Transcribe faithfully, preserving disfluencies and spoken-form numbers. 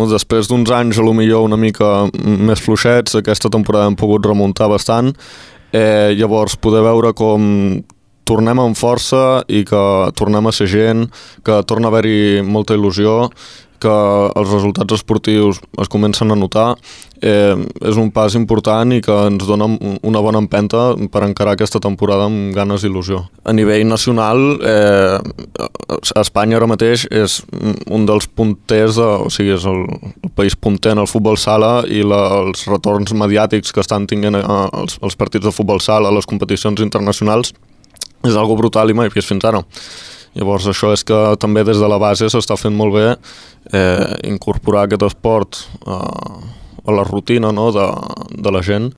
bueno, després d'uns anys a lo millor una mica més fluixets, aquesta temporada hem pogut remuntar bastant, eh, llavors poder veure com tornem amb força i que tornem a ser gent, que torna a haver-hi molta il·lusió, que els resultats esportius es comencen a notar, eh, és un pas important i que ens dona una bona empenta per encarar aquesta temporada amb ganes i il·lusió. A nivell nacional, eh, Espanya ara mateix és un dels punters, de, o sigui, és el, el país punter en el futbol sala i la, els retorns mediàtics que estan tinguent a, els, els partits de futbol sala a les competicions internacionals és algo brutal i mai vist fins ara. Llavors això és que també des de la base s'està fent molt bé eh, incorporar aquest esport a, a la rutina, no? de, de la gent.